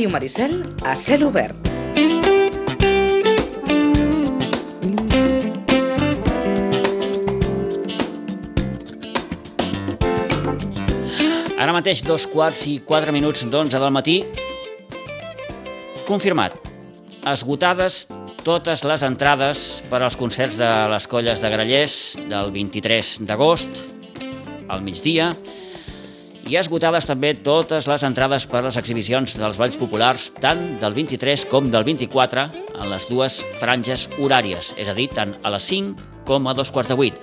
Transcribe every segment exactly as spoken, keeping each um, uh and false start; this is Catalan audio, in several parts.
Ràdio Maricel a cel obert. Ara mateix dos quarts i quatre minuts d'onze del matí. Confirmat. Esgotades totes les entrades per als concerts de les Colles de Grallers del vint-i-tres d'agost al migdia i esgotades també totes les entrades per a les exhibicions dels balls populars tant del vint-i-tres com del vint-i-quatre en les dues franges horàries, és a dir, tant a les cinc com a dos quarts de vuit.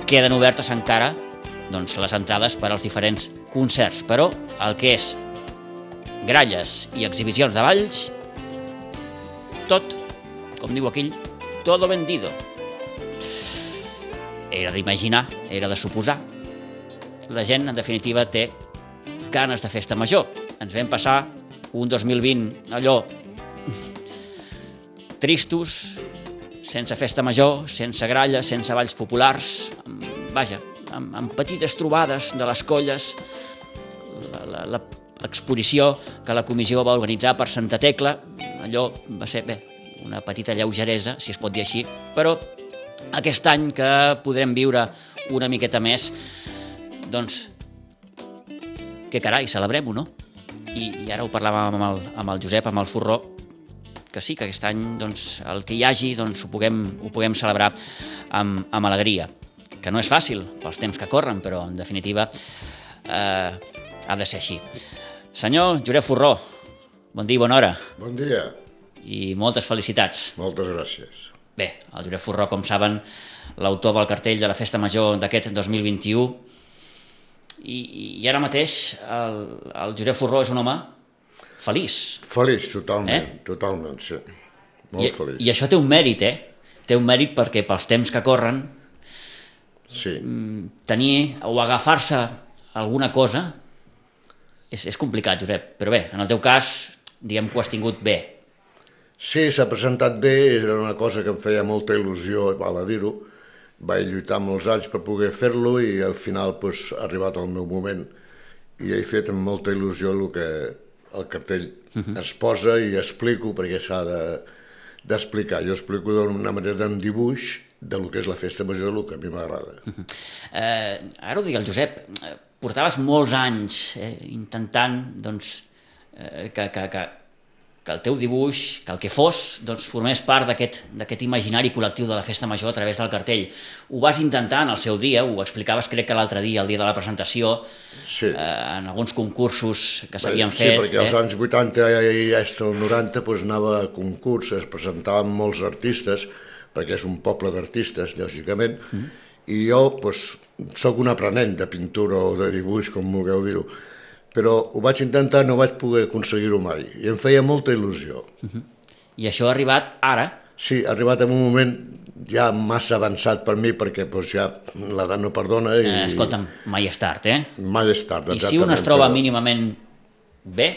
Queden obertes encara doncs, les entrades per als diferents concerts, però el que és gralles i exhibicions de balls, tot, com diu aquell, todo vendido. Era d'imaginar, era de suposar. La gent, en definitiva, té ganes de festa major. Ens vam passar un dos mil vint allò tristos, sense festa major, sense gralles, sense balls populars, vaja, amb, amb petites trobades de les colles, l'exposició que la comissió va organitzar per Santa Tecla, allò va ser bé, una petita lleugeresa, si es pot dir així, però aquest any que podrem viure una miqueta més, doncs, que carai, celebrem-ho, no? I, i ara ho parlàvem amb el, amb el Josep, amb el Furró, que sí, que aquest any doncs, el que hi hagi doncs, ho, puguem, ho puguem celebrar amb, amb alegria, que no és fàcil pels temps que corren, però en definitiva eh, ha de ser així. Senyor Josep Furró, bon dia i bona hora. Bon dia. I moltes felicitats. Moltes gràcies. Bé, el Josep Furró, com saben, l'autor del cartell de la Festa Major d'aquest dos mil vint-i-u, i, i ara mateix el, el Josep Furró és un home feliç. Feliç, totalment, eh? totalment, sí. Molt I, feliç. I això té un mèrit, eh? Té un mèrit perquè pels temps que corren, sí. tenir o agafar-se alguna cosa és, és complicat, Josep, però bé, en el teu cas, diguem que ho has tingut bé. Sí, s'ha presentat bé, era una cosa que em feia molta il·lusió, val a dir-ho. Vaig lluitar molts anys per poder fer-lo i al final doncs, ha arribat el meu moment i he fet amb molta il·lusió el que el cartell uh-huh. es posa i explico perquè s'ha de, d'explicar. Jo explico d'una manera d'un dibuix del que és la festa major, del que a mi m'agrada. Uh-huh. Eh, ara ho digui el Josep, portaves molts anys eh, intentant doncs, eh, que, que, que, que el teu dibuix, que el que fos, doncs, formés part d'aquest, d'aquest imaginari col·lectiu de la festa major a través del cartell. Ho vas intentar en el seu dia, ho explicaves crec que l'altre dia, el dia de la presentació, sí. eh, en alguns concursos que s'havien sí, fet. Sí, perquè als eh? anys vuitanta i fins al noranta doncs, anava a concurs, es presentaven molts artistes, perquè és un poble d'artistes, lògicament, mm. i jo doncs, soc un aprenent de pintura o de dibuix, com vulgueu dir-ho, però ho vaig intentar, no vaig poder aconseguir-ho mai, i em feia molta il·lusió. Uh-huh. I això ha arribat ara? Sí, ha arribat en un moment ja massa avançat per mi, perquè doncs, ja l'edat no perdona. I... Eh, escolta'm, mai és tard, eh? Mai és tard, exactament. I si un es troba però... mínimament bé,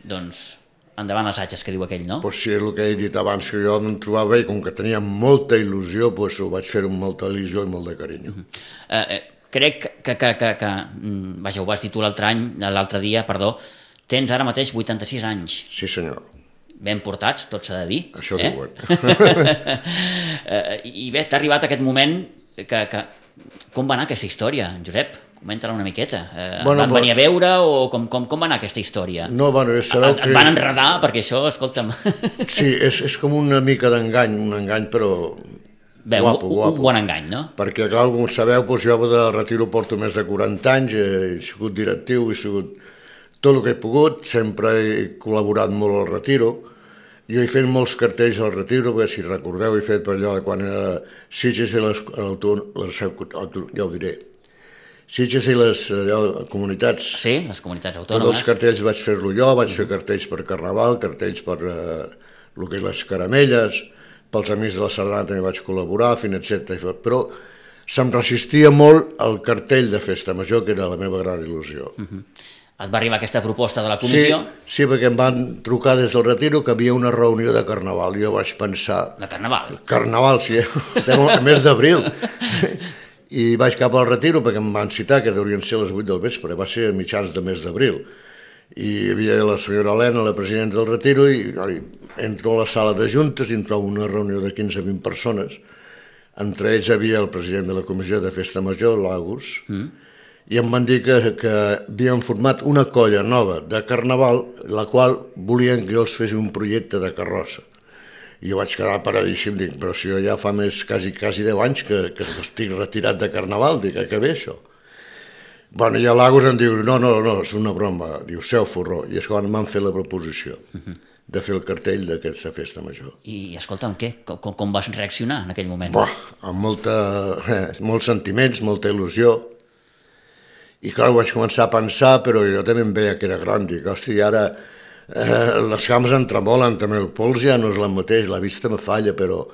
doncs endavant les atxes, que diu aquell, no? Pues sí, el que he dit abans, que jo em trobava bé, com que tenia molta il·lusió, doncs ho vaig fer amb molta il·lusió i molt de carinyo. Uh-huh. eh, eh, crec que, que, que, que, vaja, ho vas dir tu l'altre any, l'altre dia, perdó, tens ara mateix vuitanta-sis anys. Sí, senyor. Ben portats, tot s'ha de dir. Això eh? diuen. I bé, t'ha arribat aquest moment que, que... Com va anar aquesta història, Josep? Comenta-la una miqueta. Eh, bueno, van venir a veure o com, com, com va anar aquesta història? No, bueno, sabeu et, que... Et van enredar, perquè això, escolta'm... Sí, és, és com una mica d'engany, un engany, però... Bé, guapo, un, guapo. Un bon engany, no? Perquè, clar, com sabeu, doncs jo de retiro porto més de quaranta anys, he sigut directiu, he sigut tot el que he pogut, sempre he col·laborat molt al retiro. Jo he fet molts cartells al retiro, perquè si recordeu he fet per allò de quan era Sitges i les, les ja ho diré, Sitges i les allò, comunitats. Sí, les comunitats autònomes. Tots els cartells vaig fer-lo jo, vaig fer cartells per Carnaval, cartells per eh, el que és les caramelles, pels Amics de la Sardana també vaig col·laborar, fins etcètera. Però se'm resistia molt el cartell de Festa Major, que era la meva gran il·lusió. Uh-huh. Et va arribar aquesta proposta de la comissió? Sí, sí, perquè em van trucar des del retiro que havia una reunió de Carnaval, i jo vaig pensar... De Carnaval? Carnaval, sí, estem al mes d'abril. I vaig cap al retiro perquè em van citar, que deurien ser les vuit del vespre, va ser a mitjans de mes d'abril. i hi havia la senyora Helena, la presidenta del Retiro, i, i entro a la sala de juntes i em trobo una reunió de quinze a vint persones. Entre ells hi havia el president de la comissió de Festa Major, l'Agus, mm. i em van dir que, que havien format una colla nova de Carnaval, la qual volien que jo els fes un projecte de carrossa. I jo vaig quedar paradíssim, dic, però si jo ja fa més, quasi, quasi deu anys que, que estic retirat de Carnaval, dic, que bé això? Bueno, i l'Agus em diu, no, no, no, és una broma, diu, seu forró, i és quan m'han fet la proposició uh-huh. de fer el cartell d'aquesta festa major. I, escolta'm, què? Com, com vas reaccionar en aquell moment? Buah, amb molta, eh, molts sentiments, molta il·lusió, i clar, ho vaig començar a pensar, però jo també em veia que era gran, dic, hosti, ara eh, les cames em tremolen, també el pols ja no és la mateix, la vista me falla, però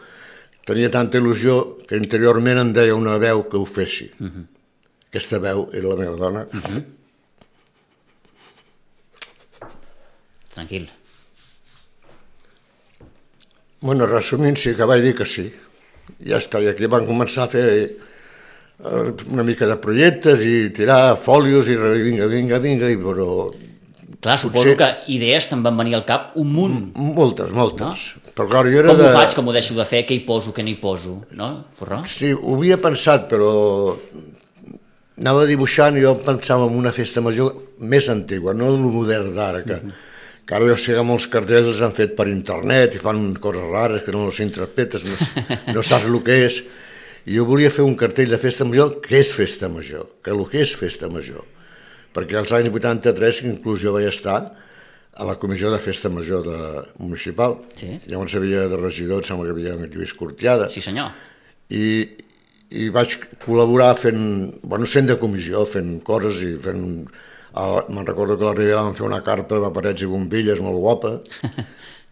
tenia tanta il·lusió que interiorment em deia una veu que ho fessi. Uh-huh. Aquesta veu era la meva dona. Uh-huh. Tranquil. Bueno, resumint, sí que vaig dir que sí. Ja està, i aquí van començar a fer una mica de projectes i tirar fòlios i vinga, vinga, vinga, i però... Clar, suposo potser... que idees te'n van venir al cap un munt. Moltes, moltes. No? Però clar, jo era com de... ho faig, com ho deixo de fer, què hi poso, què no hi poso, no, Forró? Sí, ho havia pensat, però... Anava dibuixant i jo pensava en una festa major més antigua, no el modern d'ara, que, uh-huh. que ara jo sé que molts cartells els han fet per internet i fan coses rares que no les interpretes, no, no saps el que és. I jo volia fer un cartell de festa major que és festa major, que el que és festa major. Perquè als anys vuitanta-tres inclús jo vaig estar a la comissió de festa major de municipal. Sí. Llavors hi havia de regidor, em sembla que hi havia en Lluís Cortiada. Sí, senyor. I... i vaig col·laborar fent, bueno, sent de comissió, fent coses i fent... Me'n recordo que a la Ribera vam fer una carpa de paperets i bombilles molt guapa,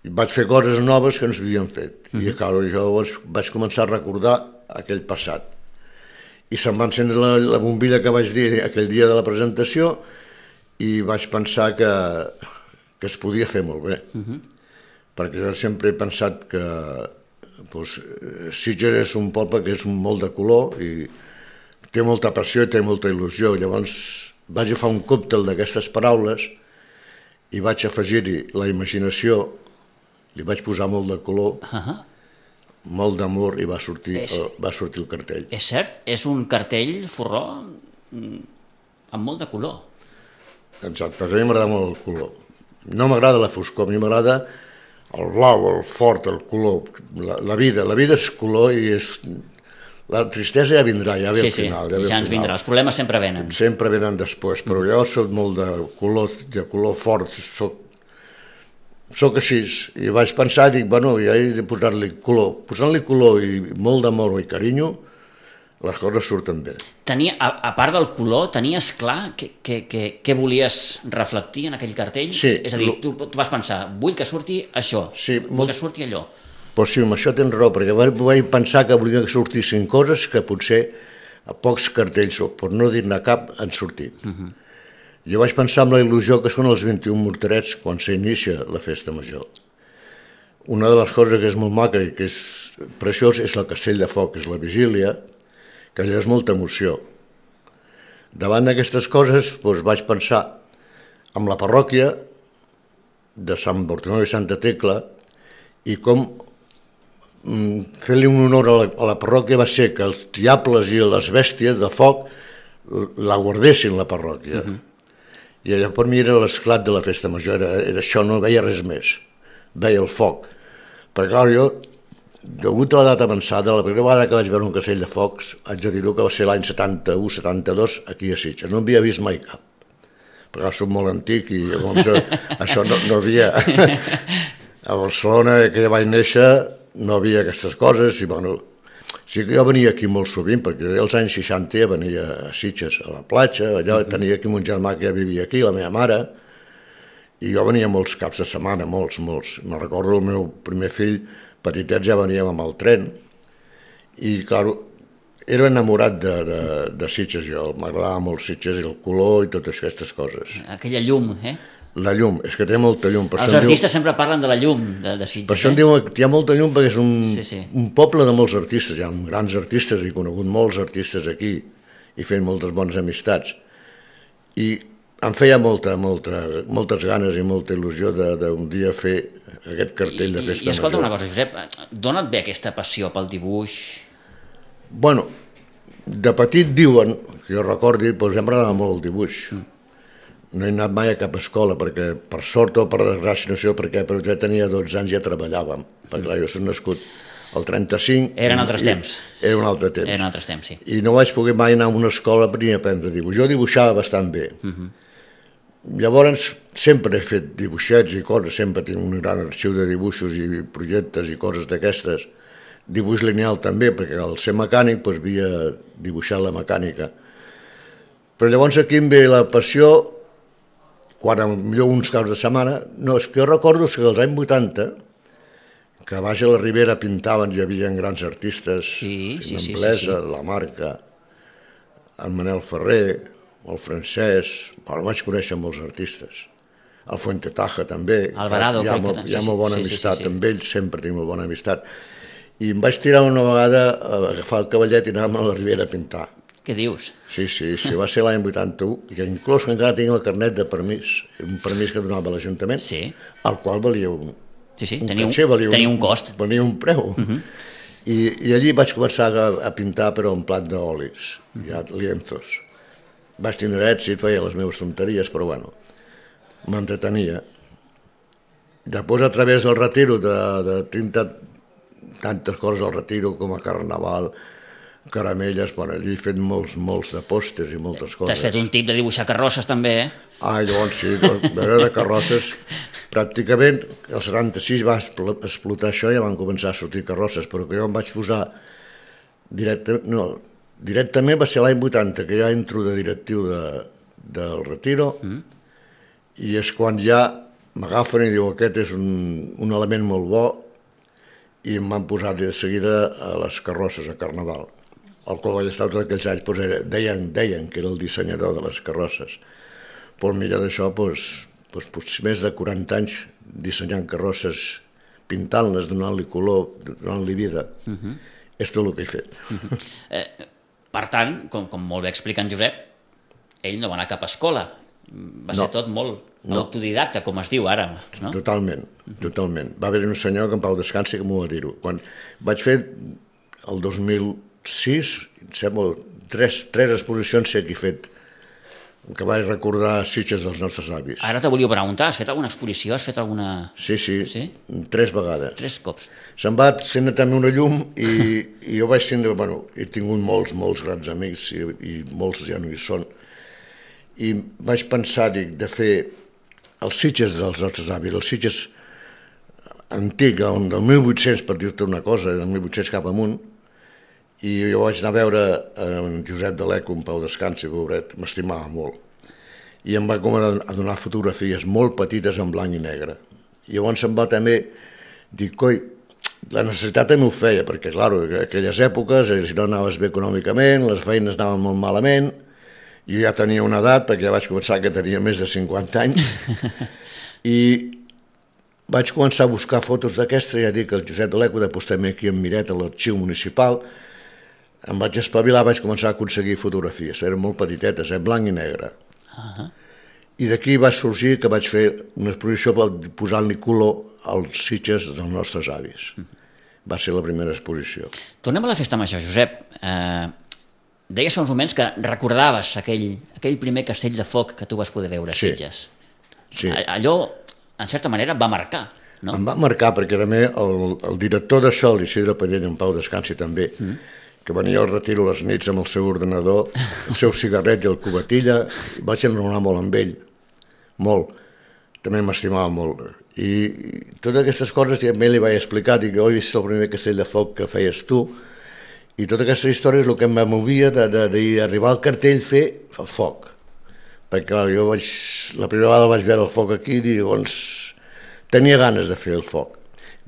i vaig fer coses noves que no s'havien fet. Uh-huh. I clar, jo vaig començar a recordar aquell passat. I se'm va encendre la, la bombilla que vaig dir aquell dia de la presentació i vaig pensar que, que es podia fer molt bé. Uh-huh. Perquè jo sempre he pensat que Pues, Sitges és un poble que és molt de color i té molta passió i té molta il·lusió. Llavors vaig agafar un còctel d'aquestes paraules i vaig afegir-hi la imaginació, li vaig posar molt de color, uh-huh. molt d'amor i va sortir, és... el, va sortir el cartell. És cert, és un cartell, Forró, amb molt de color. Exacte, a mi m'agrada molt el color. No m'agrada la foscor, a mi m'agrada el blau, el fort, el color, la, la vida. La vida és color i és... La tristesa ja vindrà, ja ve sí, al final. Sí, ja, ja ens vindrà, els problemes sempre venen. Sempre venen després, però jo soc molt de color, de color fort, soc, soc així. I vaig pensar, dic, bueno, ja he de posar-li color. Posant-li color i molt d'amor i carinyo, les coses surten bé. Tenia, a, a part del color, tenies clar què, què, què, què volies reflectir en aquell cartell? Sí. És a dir, tu, tu vas pensar, vull que surti això, sí, vull molt... que surti allò. Pues sí, amb això tens raó, perquè vaig pensar que volia que sortissin coses que potser a pocs cartells, per no dir-ne cap, han sortit. Uh-huh. Jo vaig pensar en la il·lusió que són els vint-i-un morterets quan s'inicia la festa major. Una de les coses que és molt maca i que és preciós és el castell de foc, és la vigília, que allò és molta emoció. Davant d'aquestes coses doncs, vaig pensar en la parròquia de Sant Bartomeu i Santa Tecla i com mm, fer-li un honor a la, a la parròquia va ser que els diables i les bèsties de foc la guardessin la parròquia. Uh-huh. I allò per mi era l'esclat de la festa major, era, era això, no veia res més, veia el foc. Perquè clar, jo degut a la data avançada, la primera vegada que vaig veure un castell de focs, haig de dir-ho que va ser l'any setanta-u setanta-dos aquí a Sitges. No havia vist mai cap, perquè soc molt antic i llavors això no, no havia... A Barcelona, que ja vaig néixer, no havia aquestes coses i bueno... Sí que jo venia aquí molt sovint, perquè als anys seixanta ja venia a Sitges, a la platja, allò, uh-huh. Tenia aquí mon germà que ja vivia aquí, la meva mare, i jo venia molts caps de setmana, molts, molts. Me'n recordo el meu primer fill, petitets ja veníem amb el tren i, clar, era enamorat de, de, de Sitges, jo, m'agradava molt Sitges i el color i totes aquestes coses. Aquella llum, eh? La llum, és que té molta llum. Per Els artistes diu... sempre parlen de la llum de, de Sitges. Per això eh? em diu que hi ha molta llum perquè és un, sí, sí. un poble de molts artistes, hi ha grans artistes, he conegut molts artistes aquí i fent moltes bones amistats. I em feia molta, molta, moltes ganes i molta il·lusió d'un dia fer aquest cartell de festa I, i escolta major. una cosa, Josep, d'on et ve aquesta passió pel dibuix? Bueno, de petit diuen, que jo recordi, doncs ja m'agradava molt el dibuix. Mm. No he anat mai a cap escola, perquè per sort o per desgràcia, no sé per què, però ja tenia dotze anys i ja treballàvem, perquè clar, jo soc nascut al trenta-cinc... Eren altres temps. Era un altre temps. Eren altres temps, sí. I no vaig poder mai anar a una escola ni aprendre a dibuixar. Jo dibuixava bastant bé. Uh -huh. Llavors, sempre he fet dibuixets i coses, sempre tinc un gran arxiu de dibuixos i projectes i coses d'aquestes. Dibuix lineal també, perquè al ser mecànic doncs, havia dibuixat la mecànica. Però llavors aquí em ve la passió, quan millor uns caps de setmana, no, és que jo recordo que als anys vuitanta, que a baix a la Ribera pintaven, hi havia grans artistes, sí, sí, sí, Blesa, sí, sí. la Marca, en Manel Ferrer, el Francesc, bueno, vaig conèixer molts artistes, el Fuente Taja també, Alvarado, hi ha, crec molt, que... hi ha sí, molt bona sí, sí, amistat sí, sí. amb ells, sempre tinc molt bona amistat, i em vaig tirar una vegada a agafar el cavallet i anar-me a la Ribera a pintar. Què dius? Sí, sí, sí, va ser l'any vuitanta-u, i que inclús encara tinc el carnet de permís, un permís que donava l'Ajuntament, Sí. el qual valia un, Sí, sí, un tenia un, caché, valia tenia un cost. Valia un preu. Uh-huh. I, I allí vaig començar a, a pintar, però en plat d'olis, uh-huh. ja lienzos. Vaig tindre èxit, feia les meves tonteries, però bueno, m'entretenia. Després, a través del retiro, de, de tinta, tantes coses al retiro, com a carnaval, caramelles, bueno, allí he fet molts, molts de pòsters i moltes coses. T'has fet un tip de dibuixar carrosses també, eh? Ah, llavors sí, veure de carrosses, pràcticament el setanta-sis va explotar això i ja van començar a sortir carrosses, però que jo em vaig posar directament, no, directament va ser l'any vuitanta, que ja entro de directiu de, del retiro, mm. i és quan ja m'agafen i diu aquest és un, un element molt bo, i em van posar de seguida a les carrosses a Carnaval. El qual vaig estar tots aquells anys, doncs era, deien, deien que era el dissenyador de les carrosses. Però mira d'això, doncs, doncs, doncs, més de quaranta anys dissenyant carrosses, pintant-les, donant-li color, donant-li vida. Uh-huh. És tot el que he fet. Uh-huh. eh, per tant, com, com molt bé explica en Josep, ell no va anar a cap escola. Va ser no. tot molt no. autodidacta, com es diu ara. No? Totalment, uh-huh. totalment. Va haver un senyor que en pau descansi que m'ho va dir-ho. Quan vaig fer el dos mil sis, em sembla, tres, tres exposicions sé que he fet, que vaig recordar Sitges dels nostres avis. Ara te volia preguntar, has fet alguna exposició? Has fet alguna... Sí, sí, sí? tres vegades. Tres cops. Se'n va encendre també una llum i, i jo vaig tindre, bueno, he tingut molts, molts grans amics i, i molts ja no hi són. I vaig pensar, dic, de fer els Sitges dels nostres avis, els Sitges antic, del mil vuit-cents, per dir-te una cosa, del mil vuit-cents cap amunt, i jo vaig anar a veure en Josep de l'Eco, en pau descansi, pobret, m'estimava molt. I em va començar a donar fotografies molt petites en blanc i negre. I llavors em va també dir, coi, la necessitat també ho feia, perquè, clar, en aquelles èpoques, si no anaves bé econòmicament, les feines anaven molt malament, jo ja tenia una edat, perquè ja vaig començar que tenia més de cinquanta anys, i vaig començar a buscar fotos d'aquestes, ja dic que el Josep de l'Eco després també aquí en Miret, a l'arxiu municipal, em vaig espavilar, vaig començar a aconseguir fotografies, eren molt petitetes, eh, blanc i negre. Uh-huh. I d'aquí va sorgir que vaig fer una exposició posant-li color als Sitges dels nostres avis. Uh-huh. Va ser la primera exposició. Tornem a la festa major, Josep. Eh, deies fa uns moments que recordaves aquell, aquell primer castell de foc que tu vas poder veure a sí. Sitges. Sí. Allò, en certa manera, va marcar, no? Em va marcar, perquè també el, el director d'això, l'Isidre Pallell, en pau descansi també, mm. que venia al retiro les nits amb el seu ordenador, el seu cigarret i el cubatilla, i vaig enraonar molt amb ell, molt. També m'estimava molt. I, i totes aquestes coses també li vaig explicar, dic, jo he vist el primer castell de foc que feies tu, i tota aquesta història és el que em movia d'arribar al cartell fer el foc. Perquè clar, jo vaig, la primera vegada vaig veure el foc aquí i llavors tenia ganes de fer el foc.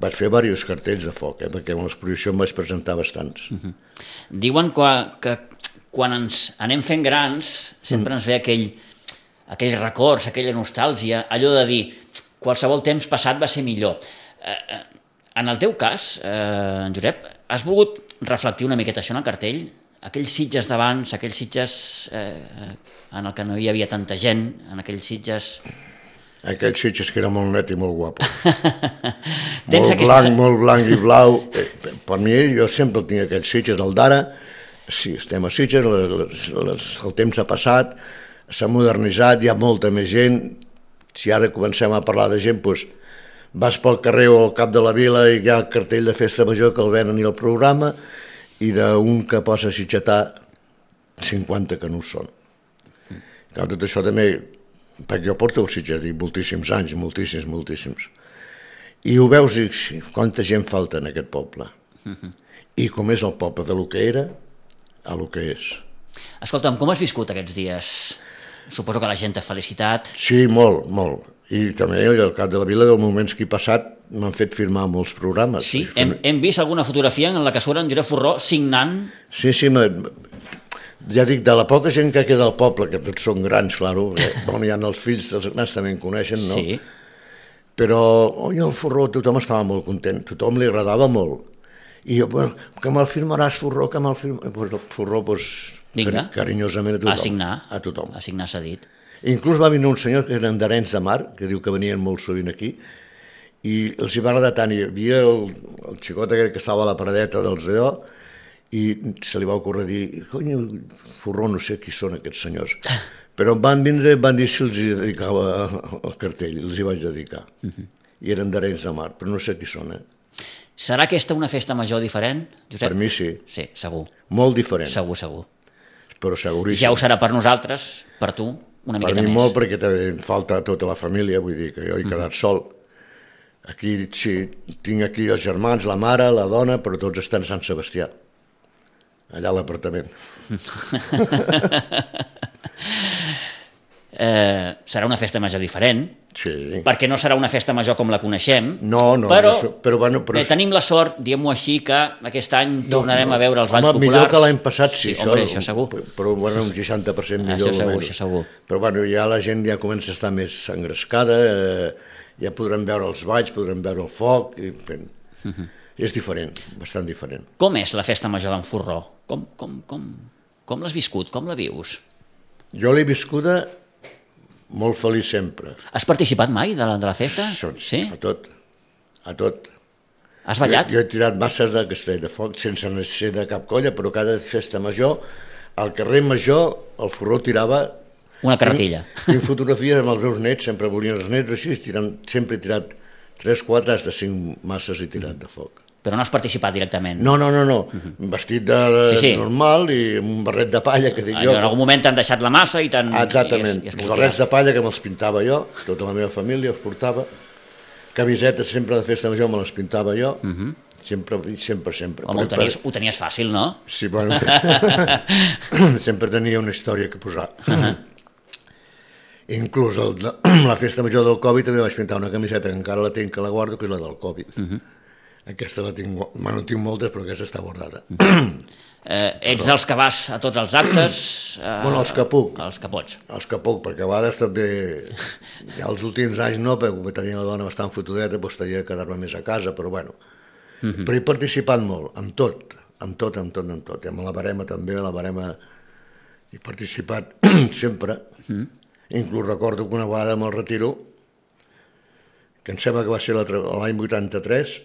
Vaig fer diversos cartells de foc, eh, perquè en l'exposició em vaig presentar bastants. Uh-huh. Diuen que, que quan ens anem fent grans sempre mm. ens ve aquell, aquells records, aquella nostàlgia, allò de dir qualsevol temps passat va ser millor. Eh, en el teu cas, eh, Josep, has volgut reflectir una miqueta això en el cartell? aquells Sitges d'abans, aquells Sitges eh, en el que no hi havia tanta gent, en aquells Sitges... Aquells Sitges que era molt net i molt guapo. Tens molt aquesta... blanc, molt blanc i blau. Per mi, jo sempre tinc aquells Sitges. El d'ara, sí, estem a Sitges, les, les, el temps ha passat, s'ha modernitzat, hi ha molta més gent. Si ara comencem a parlar de gent, doncs vas pel carrer o al cap de la vila i hi ha el cartell de festa major que el venen i el programa, i d'un que posa a sitgetar cinquanta que no ho són. Clar, tot això també, perquè jo porto el Sitges moltíssims anys, moltíssims, moltíssims. I ho veus i quanta gent falta en aquest poble. I com és el poble de lo que era a lo que és. Escolta'm, com has viscut aquests dies? Suposo que la gent t'ha felicitat. Sí, molt, molt. I també al cap de la vila, dels moments que he passat, m'han fet firmar molts programes. Sí, hem, hem vist alguna fotografia en la que surt en Josep Forró signant... Sí, sí, ja dic, de la poca gent que queda al poble, que tots són grans, claro, bon, hi ha els fills, els grans també en coneixen, no? Sí. Però, oi, el Forró, tothom estava molt content, tothom li agradava molt. I jo, bueno, que me'l firmaràs, Forró, que me'l firmaràs... Pues el Forró, doncs, Vinga. Carinyosament a tothom. A signar. A tothom. A signar s'ha dit. Inclús va venir un senyor que eren d'Arenys de Mar, que diu que venien molt sovint aquí, i els hi va agradar tant. Hi havia el, el xicot aquell que estava a la paradeta dels d'allò, i se li va ocórrer dir, cony, Forró, no sé qui són aquests senyors. Però em van vindre i em van dir si els hi dedicava el cartell, els hi vaig dedicar. Uh-huh. I eren d'Arenys de Mar, però no sé qui són, eh? Serà aquesta una festa major diferent, Josep? Per mi sí. Sí, segur. Molt diferent. Segur, segur. Però seguríssim. Ja ho serà per nosaltres, per tu, una miqueta més. Per mi molt, perquè també em falta tota la família, vull dir que jo he quedat sol. Aquí, sí, tinc aquí els germans, la mare, la dona, però tots estan a Sant Sebastià, allà a l'apartament. eh, serà una festa major diferent, sí. Perquè no serà una festa major com la coneixem, no, no, però, no, però, bueno, però... Eh, tenim la sort, diguem-ho així, que aquest any no, tornarem no. a veure els balls home, populars. Millor que l'any passat, sí, sí això, home, això segur. Però bueno, un seixanta per cent millor. Això segur, això segur. Però bueno, ja la gent ja comença a estar més engrescada, eh, ja podrem veure els balls, podrem veure el foc, i, uh-huh. És diferent, bastant diferent. Com és la festa major d'en Forró? Com, com, com, com l'has viscut? Com la vius? Jo l'he viscuda molt feliç sempre. Has participat mai de la, de la festa? Sí, a tot, a tot. Has ballat? Jo, jo he tirat masses de castell de foc, sense ser de cap colla, però cada festa major, al carrer Major, el Forró tirava... Una carretilla. Tinc, tinc fotografies amb els meus nets, sempre volien els nets així, tirant, sempre he tirat tres, quatre, fins de cinc masses he tirat de foc. Però no has participat directament? No, no, no, no. Uh-huh. Vestit de sí, sí. normal i amb un barret de palla, que dic jo. En algun moment t'han deixat la massa i t'han... Exactament, i es, i els barrets de palla que me'ls pintava jo, tota la meva família els portava, camisetes sempre de festa major me les pintava jo, uh-huh. sempre, sempre, sempre. Home, ho tenies, ho tenies fàcil, no? Sí, bueno, sempre tenia una història que posar. Uh-huh. Inclús el, la festa major del Covid també vaig pintar una camiseta que encara la tinc, que la guardo, que és la del Covid. Uh-huh. Aquesta la tinc, bueno, tinc moltes, però aquesta està guardada. Eh, ets dels que vas a tots els actes? Eh, bueno, els que puc. Els que pots. Els que puc, perquè a vegades també, ja els últims anys no, perquè com tenia la dona bastant fotudeta, doncs tenia de quedar-me més a casa, però bueno. Uh-huh. Però he participat molt, amb tot, amb tot, amb tot, amb tot. I amb la barema també, la barema he participat sempre. Uh-huh. Inclús recordo que una vegada me'l retiro, que em sembla que va ser l'any vuitanta-tres,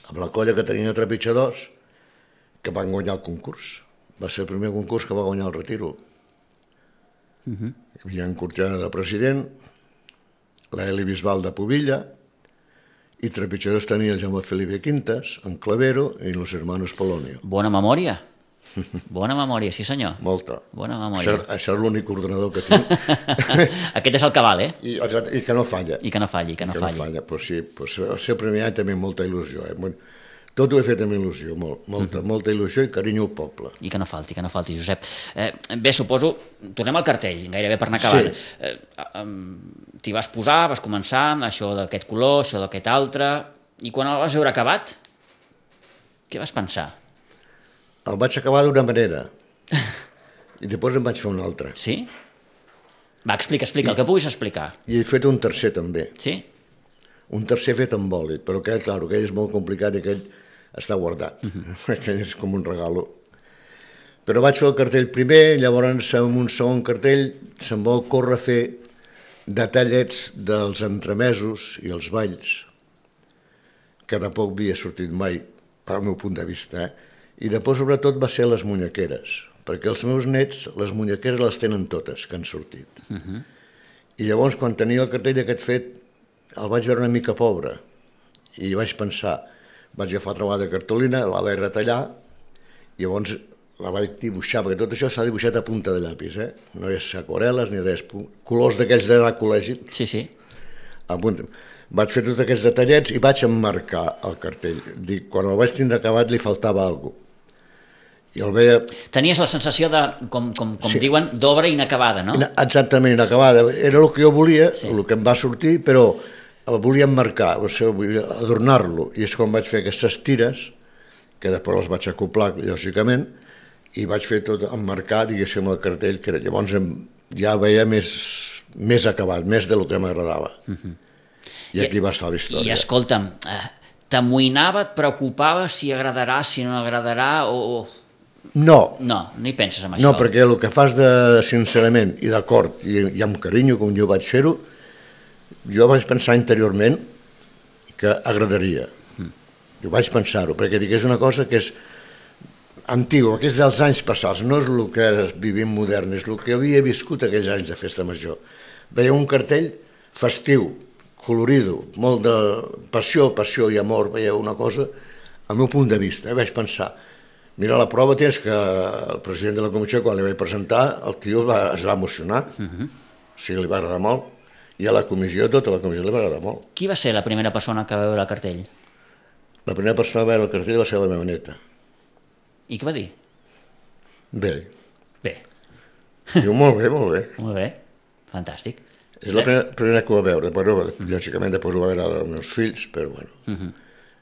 amb la colla que tenia trepitjadors, que van guanyar el concurs. Va ser el primer concurs que va guanyar el retiro. Uh-huh. Hi havia en Cortiana de president, l'Eli Bisbal de Pubilla, i trepitjadors tenia el Jaume Felipe Quintas, en Clavero i los hermanos Polonio. Bona memòria. Bona memòria, sí senyor. Molta. Bona memòria. Això, això és l'únic ordenador que tinc. Aquest és el que val, eh? I, I que no falla. I que no falli, que no I que falli. no falla, però sí, però ser el primer any també molta il·lusió. Eh? Tot ho he fet amb il·lusió, molt, molta, uh-huh. molta il·lusió i carinyo al poble. I que no falti, que no falti, Josep. Eh, bé, suposo, tornem al cartell, gairebé per anar acabant. Sí. Eh, eh, T'hi vas posar, vas començar amb això d'aquest color, això d'aquest altre, i quan el vas veure acabat, què vas pensar? El vaig acabar d'una manera i després em vaig fer una altra. Sí? Va, explica, explica, I, el que puguis explicar. I he fet un tercer també. Sí? Un tercer fet amb bòlit, però aquell, clar, aquell és molt complicat i aquell està guardat. Uh-huh. Aquell és com un regalo. Però vaig fer el cartell primer, llavors en un segon cartell se'm vol córrer a fer detallets dels entremesos i els balls, que tampoc havia sortit mai, pel meu punt de vista, eh? I després, sobretot, va ser les munyequeres, perquè els meus nets, les munyequeres les tenen totes, que han sortit. Uh-huh. I llavors, quan tenia el cartell aquest fet, el vaig veure una mica pobre, i vaig pensar, vaig agafar una vegada de cartolina, la vaig retallar, i llavors la vaig dibuixar, perquè tot això s'ha dibuixat a punta de llapis, eh? No és aquarel·les ni res, colors d'aquells d'anar al col·legi. Sí, sí. A punta. Vaig fer tots aquests detallets i vaig emmarcar el cartell. Dic, quan el vaig tindre acabat li faltava alguna cosa. I el veia... Tenies la sensació de, com, com, com Sí. diuen, d'obra inacabada, no? Exactament, inacabada. Era el que jo volia, Sí. el que em va sortir, però el volia emmarcar, o sigui, adornar-lo. I és quan vaig fer aquestes tires, que després les vaig acoplar, lògicament, i vaig fer tot emmarcar, diguéssim, el cartell, que llavors ja veia més, més acabat, més del que m'agradava. Uh-huh. I aquí I, va estar la història. I escolta'm, eh, t'amoïnava, et preocupava si agradarà, si no agradarà, o... No, No, no hi penses en això. no, perquè el que fas de sincerament i d'acord i, i amb carinyo, com jo vaig fer-ho, jo vaig pensar interiorment que agradaria. Mm. Jo vaig pensar-ho, perquè dic, és una cosa que és antiga, que és dels anys passats, no és el que ara vivim modern, és el que havia viscut aquells anys de festa major. Veia un cartell festiu, colorido, molt de passió, passió i amor, veia una cosa, al meu punt de vista, eh? Vaig pensar, mira, la prova tens que el president de la comissió, quan li vaig presentar, el tio va, es va emocionar, uh-huh. O sigui, li va agradar molt, i a la comissió, tota la comissió li va agradar molt. Qui va ser la primera persona que va veure el cartell? La primera persona que va veure el cartell va ser la meva neta. I què va dir? Bé. Bé. Diu, molt bé, molt bé. Molt bé, fantàstic. És la primera, primera que ho va veure, però lògicament després ho va veure els meus fills, però bueno, uh-huh.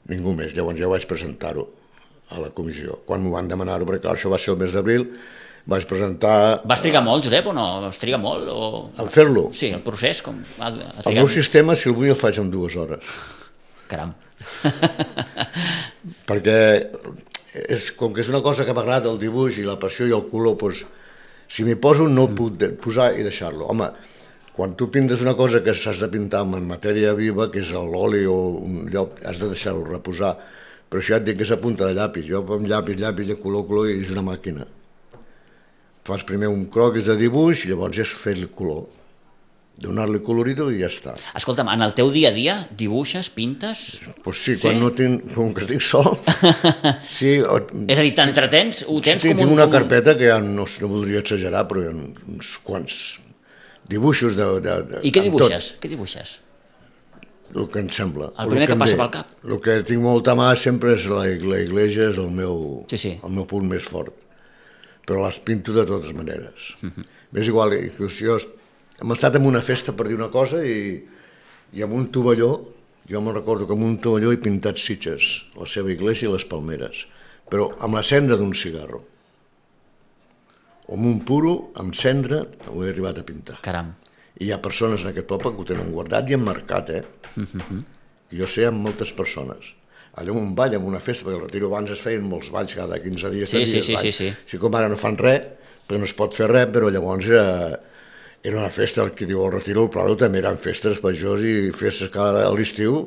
Ningú més. Llavors ja vaig presentar-ho a la comissió, quan m'ho van demanar-ho, perquè clar, això va ser el mes d'abril, vaig presentar... Vas trigar molt, Josep, o no? Vas trigar molt? O... En fer-lo? Sí, el procés, com... Ha, ha El meu sistema, si el vull, el faig en dues hores. Caram. Perquè és, com que és una cosa que m'agrada, el dibuix i la passió i el color, doncs, si m'hi poso no el puc posar i deixar-lo. Home, quan tu pintes una cosa que s'has de pintar en matèria viva, que és l'oli o un llop, has de deixar-lo reposar. Però això ja et dic que és a punta de llapis. Jo amb llapis, llapis, color, color, i és una màquina. Fas primer un croquis de dibuix i llavors és fer el color. Donar-li colorido i ja està. Escolta'm, en el teu dia a dia dibuixes, pintes? Pues sí, quan sí? no tinc, com que estic sol... sí, o... És a dir, t'entretens? Ho tens sí, com un... tinc una carpeta que ja no, no voldria exagerar, però hi ha uns quants dibuixos de... de, de I què dibuixes? Què dibuixes? El que em sembla. El primer el que, que passa pel cap? El que tinc molta mà sempre és la, la iglesia, és el meu, sí, sí. el meu punt més fort. Però les pinto de totes maneres. Uh-huh. M'és igual, inclús jo hem estat en una festa per dir una cosa i, i amb un tovalló, jo me'n recordo que amb un tovalló he pintat Sitges, la seva iglesia i les palmeres, però amb la cendra d'un cigarro. O amb un puro, amb cendra, ho he arribat a pintar. Caram. I hi ha persones en aquest poble que ho tenen guardat i emmarcat, eh? Uh-huh. I jo sé amb moltes persones. Allà en un ball, en una festa, perquè el Retiro abans es feien molts balls, cada quinze dies, sí, dies sí, sí, sí, sí. Sí, com ara no fan res, perquè no es pot fer res, però llavors era, era una festa, el que diu el Retiro, el Prado també eren festes majors i festes cada a l'estiu,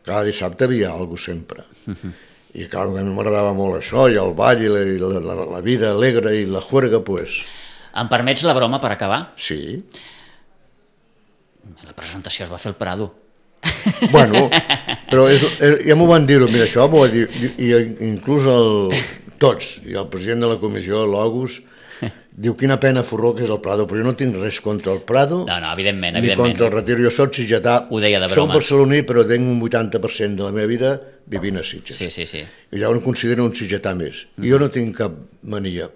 cada dissabte havia alguna cosa sempre. Uh-huh. I clar, a mi m'agradava molt això, i el ball, i la, i la, la, la vida alegre, i la juerga, pues... Em permets la broma per acabar? Sí. La presentació es va fer al Prado. Bueno, però és, és, ja m'ho van dir-ho, mira, això m'ho va dir, i, i inclús el, tots, i el president de la comissió, l'August, diu quina pena forró que és el Prado, però jo no tinc res contra el Prado, no, no, evidentment, ni evidentment. contra el Retiro, jo soc sitgetà, ho deia de soc broma. barceloní, però tinc un vuitanta per cent de la meva vida vivint a Sitges. Sí, sí, sí. I llavors em considero un sitgetà més. Mm. I jo no tinc cap mania.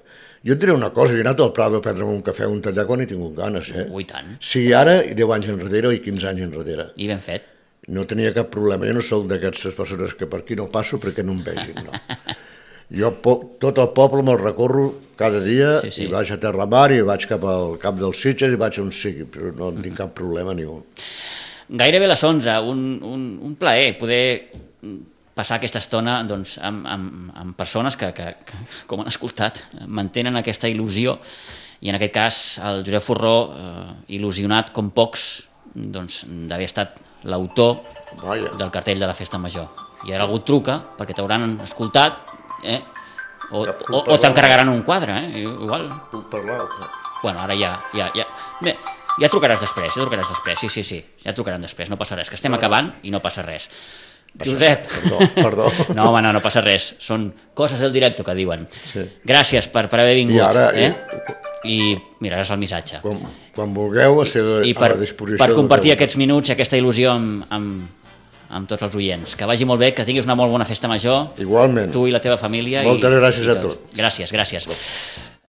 Jo et diré una cosa, jo he anat al Prado a prendre'm un cafè o un tallar quan he tingut ganes, eh? Ui, tant. Sí, ara, deu anys enrere i quinze anys enrere. I ben fet. No tenia cap problema, jo no soc d'aquestes persones que per aquí no passo perquè no em vegin, no. Jo tot el poble me'l recorro cada dia, sí, sí. I vaig a Terramar i vaig cap al cap dels Sitges i vaig on sigui, però no en tinc cap problema ni un. Gairebé les onze, un, un, un plaer poder passar aquesta estona doncs, amb, amb, amb persones que, que, que, com han escoltat, mantenen aquesta il·lusió, i en aquest cas el Josep Forró, eh, il·lusionat com pocs, doncs, d'haver estat l'autor Vaja. del cartell de la Festa Major. I ara algú et truca, perquè t'hauran escoltat, eh? o, o, o t'encarregaran un quadre, eh? Igual. Puc parlar? Bueno, ara ja... ja, ja. Bé, ja trucaràs després, ja trucaràs després, sí, sí, sí, ja trucaran després, no passa res, que estem acabant i no passa res. Josep! Perdó, perdó. No, home, no, no passa res, són coses del directe que diuen. Sí. Gràcies per, per haver vingut. I ara... Eh? I mira, és el missatge. Quan, quan vulgueu, a, ser I, i per, a la disposició... per compartir aquests minuts i aquesta il·lusió amb, amb, amb tots els oients. Que vagi molt bé, que tinguis una molt bona festa major. Igualment. Tu i la teva família. Moltes i, gràcies i a tots. Gràcies, gràcies.